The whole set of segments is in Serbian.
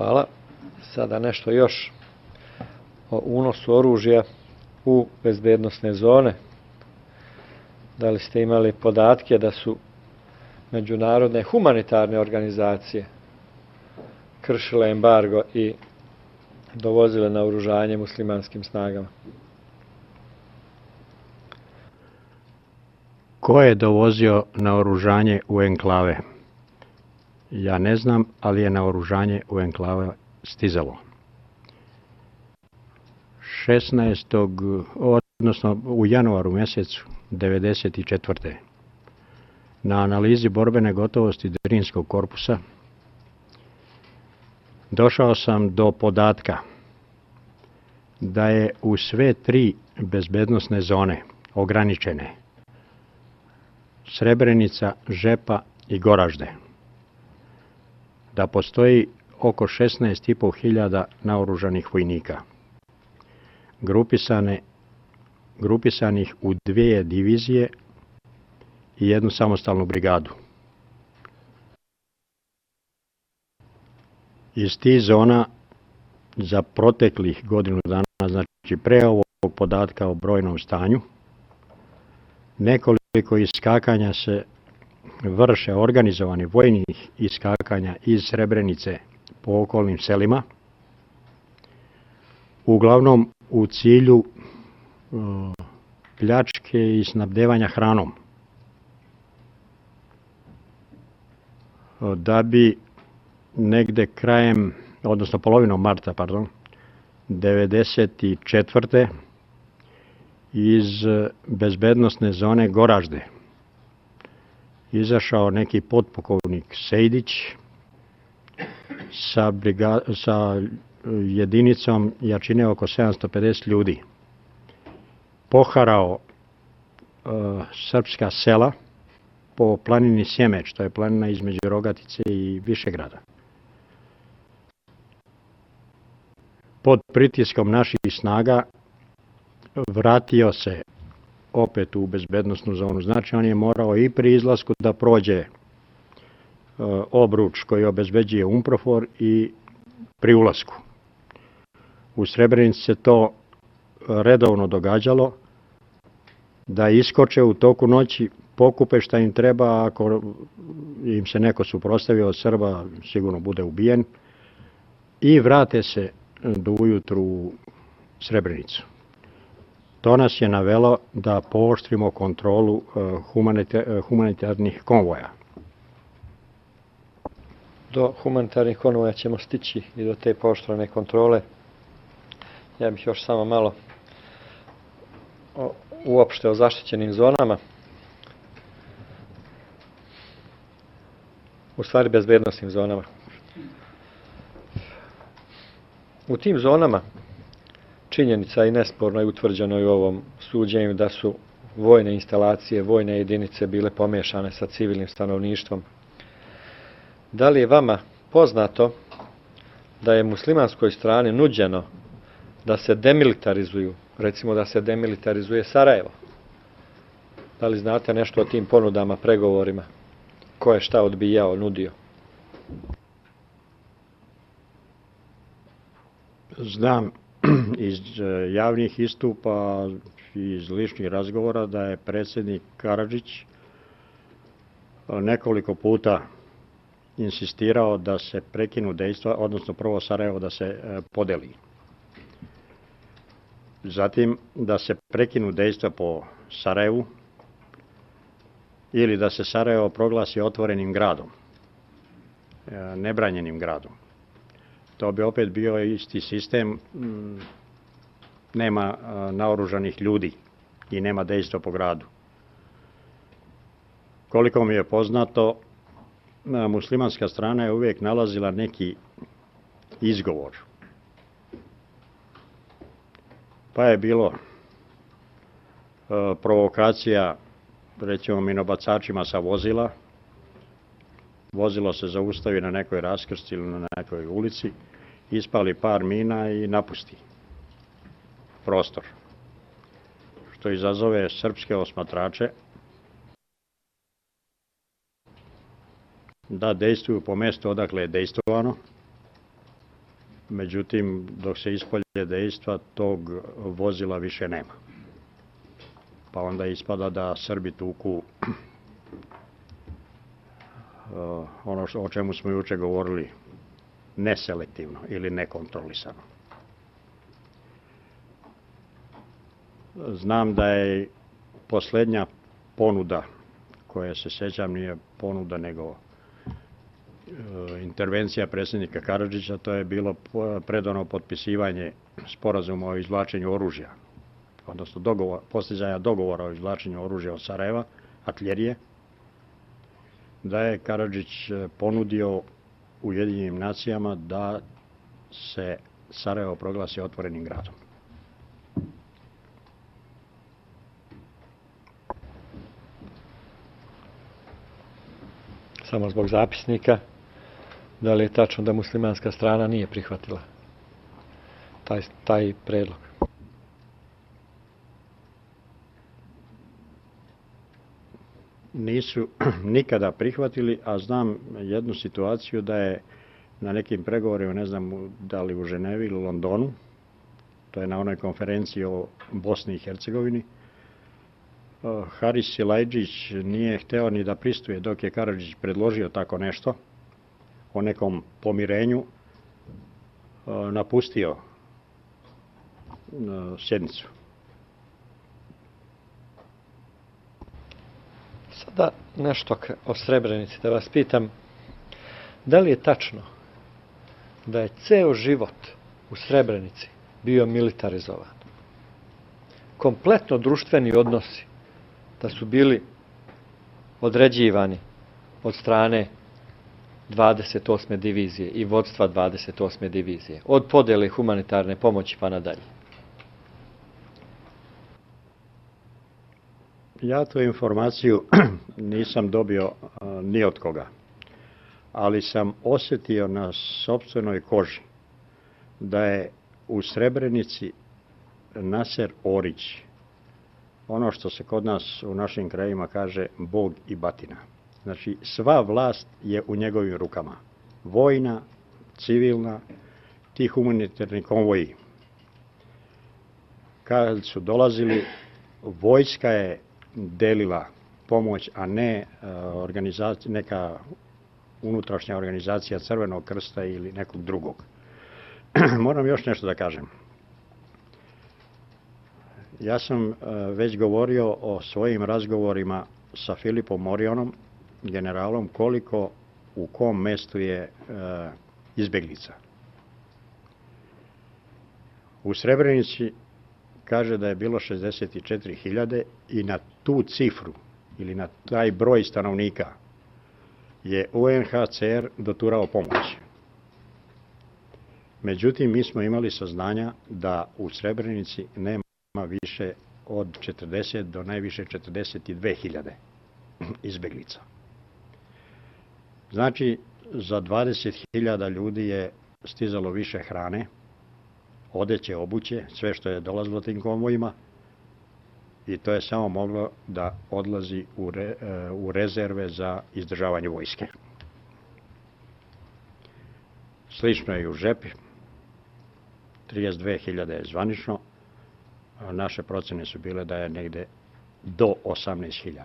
Hvala. Sada nešto još o unosu oružja u bezbednosne zone. Da li ste imali podatke da su međunarodne humanitarne organizacije kršile embargo i dovozile naoružanje muslimanskim snagama? Ko je dovozio naoružanje u enklave? Ja ne znam, ali je naoružanje u enklave stizalo. 16. odnosno u januaru mjesecu 1994. na analizi borbene gotovosti Drinskog korpusa došao sam do podatka da je u sve 3 bezbednosne zone ograničene Srebrenica, Žepa i Goražde, da postoji oko 16.500 naoružanih vojnika, grupisanih u 2 divizije i 1 samostalnu brigadu. Iz tih zona za proteklih godinu dana, znači pre ovog podatka o brojnom stanju, nekoliko iskakanja se vrše, organizovani vojnih iskakanja iz Srebrenice po okolnim selima, uglavnom u cilju pljačke i snabdevanja hranom, da bi negde krajem, odnosno polovinom marta, 1994. iz bezbednosne zone Goražde izašao neki potpukovnik Sejdić sa jedinicom jačine oko 750 ljudi. Poharao srpska sela po planini Sjemeć, to je planina između Rogatice i Višegrada. Pod pritiskom naših snaga vratio se opet u bezbednosnu zonu. Znači on je morao i pri izlasku da prođe obruč koji obezbeđuje UNPROFOR i pri ulasku. U Srebrenici se to redovno događalo, da iskoče u toku noći, pokupe šta im treba, ako im se neko suprotstavio od Srba, sigurno bude ubijen, i vrate se do ujutru u Srebrenicu. To nas je navelo da pooštrimo kontrolu humanitarnih konvoja. Do humanitarnih konvoja ćemo stići i do te pooštrene kontrole. Ja bih još samo malo uopšte o zaštićenim zonama. U stvari bezbednosnim zonama. U tim zonama činjenica i nesporno je utvrđeno i u ovom suđenju da su vojne instalacije, vojne jedinice bile pomiješane sa civilnim stanovništvom. Da li je vama poznato da je muslimanskoj strani nuđeno da se demilitarizuju, recimo da se demilitarizuje Sarajevo? Da li znate nešto o tim ponudama, pregovorima? Ko je šta odbijao, nudio? Znam iz javnih istupa i iz ličnih razgovora da je predsjednik Karadžić nekoliko puta insistirao da se prekinu dejstva, odnosno prvo Sarajevo da se podeli. Zatim da se prekinu dejstva po Sarajevu ili da se Sarajevo proglasi otvorenim gradom, nebranjenim gradom. To bi opet bio isti sistem, nema naoružanih ljudi i nema dejstva po gradu. Koliko mi je poznato, muslimanska strana je uvijek nalazila neki izgovor. Pa je bilo provokacija, recimo minobacačima sa vozila. Vozilo se zaustavi na nekoj raskrsti ili na nekoj ulici, ispali par mina i napusti prostor, što izazove srpske osmatrače da dejstvuju po mjestu odakle je dejstvovano Međutim, dok se ispolje dejstva, tog vozila više nema. Pa onda ispada da Srbi tuku ono o čemu smo juče govorili, neselektivno ili nekontrolisano. Znam da je posljednja ponuda, koja se sjećam nije ponuda nego intervencija predsjednika Karadžića, to je bilo predano potpisivanje sporazuma o izvlačenju oružja, odnosno postizanja dogovora o izvlačenju oružja od Sarajeva, artiljerije, da je Karadžić ponudio Ujedinjenim nacijama da se Sarajevo proglasi otvorenim gradom. Samo zbog zapisnika, da li je tačno da muslimanska strana nije prihvatila taj predlog? Nisu nikada prihvatili, a znam jednu situaciju da je na nekim pregovorima, ne znam da li u Ženevi ili u Londonu, to je na onoj konferenciji o Bosni i Hercegovini, Haris Silajđić nije hteo ni da pristuje dok je Karadžić predložio tako nešto, o nekom pomirenju, napustio sjednicu. Sada nešto o Srebrenici, da vas pitam, da li je tačno da je ceo život u Srebrenici bio militarizovan? Kompletno društveni odnosi da su bili određivani od strane 28. divizije i vodstva 28. divizije, od podjele humanitarne pomoći pa nadalje. Ja tu informaciju nisam dobio ni od koga, ali sam osjetio na sopstvenoj koži da je u Srebrenici Naser Orić, ono što se kod nas u našim krajima kaže Bog i batina. Znači, sva vlast je u njegovim rukama. Vojna, civilna, ti humanitarni konvoji. Kad su dolazili, vojska je delila pomoć, a ne neka unutrašnja organizacija Crvenog krsta ili nekog drugog. Moram još nešto da kažem. Ja sam već govorio o svojim razgovorima sa Filipom Morionom, generalom, koliko u kom mestu je izbeglica. U Srebrenici kaže da je bilo 64.000 i na tu cifru ili na taj broj stanovnika je UNHCR doturao pomoć. Međutim, mi smo imali saznanja da u Srebrenici nema više od 40 do najviše 42.000 izbeglica. Znači, za 20.000 ljudi je stizalo više hrane, odeće, obuće, sve što je dolazilo tim konvojima, i to je samo moglo da odlazi u rezerve za izdržavanje vojske. Slično je i u Žepi, 32.000 je zvanično, naše procene su bile da je negde do 18.000.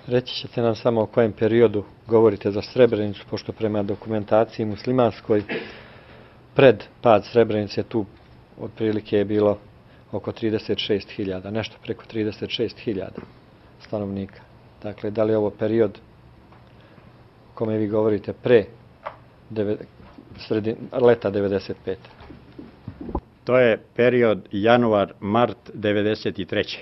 Reći ćete nam samo o kojem periodu govorite za Srebrenicu, pošto prema dokumentaciji muslimanskoj pred pad Srebrenice tu otprilike je bilo oko 36.000, nešto preko 36.000 stanovnika. Dakle, da li je ovo period o kome vi govorite pre leta 95. To je period januar-mart 93.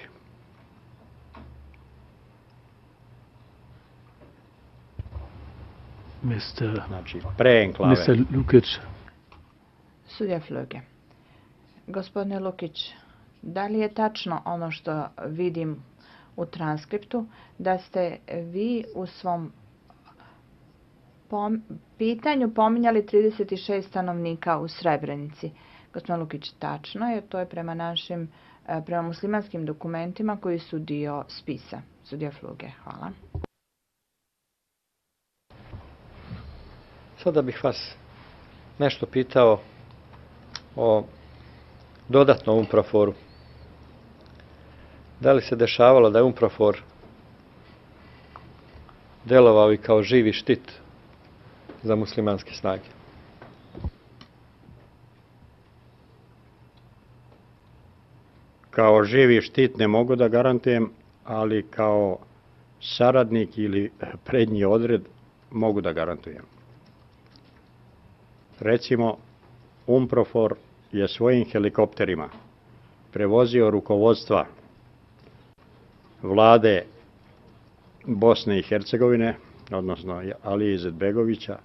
Znači, pre enklave. Mr. Lukić. Sudija Flöge. Gospodine Lukić, da li je tačno ono što vidim u transkriptu, da ste vi u svom pitanju pominjali 36 stanovnika u Srebrenici? Gospodin Lukić, tačno je, to je prema muslimanskim dokumentima koji su dio spisa. Sudija Flöge, hvala. Sada bih vas nešto pitao o dodatnom UNPROFOR-u. Da li se dešavalo da je UNPROFOR delovao i kao živi štit za muslimanske snage? Kao živi štit ne mogu da garantujem, ali kao saradnik ili prednji odred mogu da garantujem. Recimo, UNPROFOR je svojim helikopterima prevozio rukovodstva vlade Bosne i Hercegovine, odnosno Alije Izetbegovića,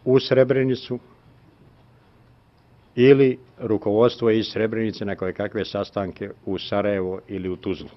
u Srebrenicu ili rukovodstvo iz Srebrenice na koje kakve sastanke u Sarajevo ili u Tuzlu.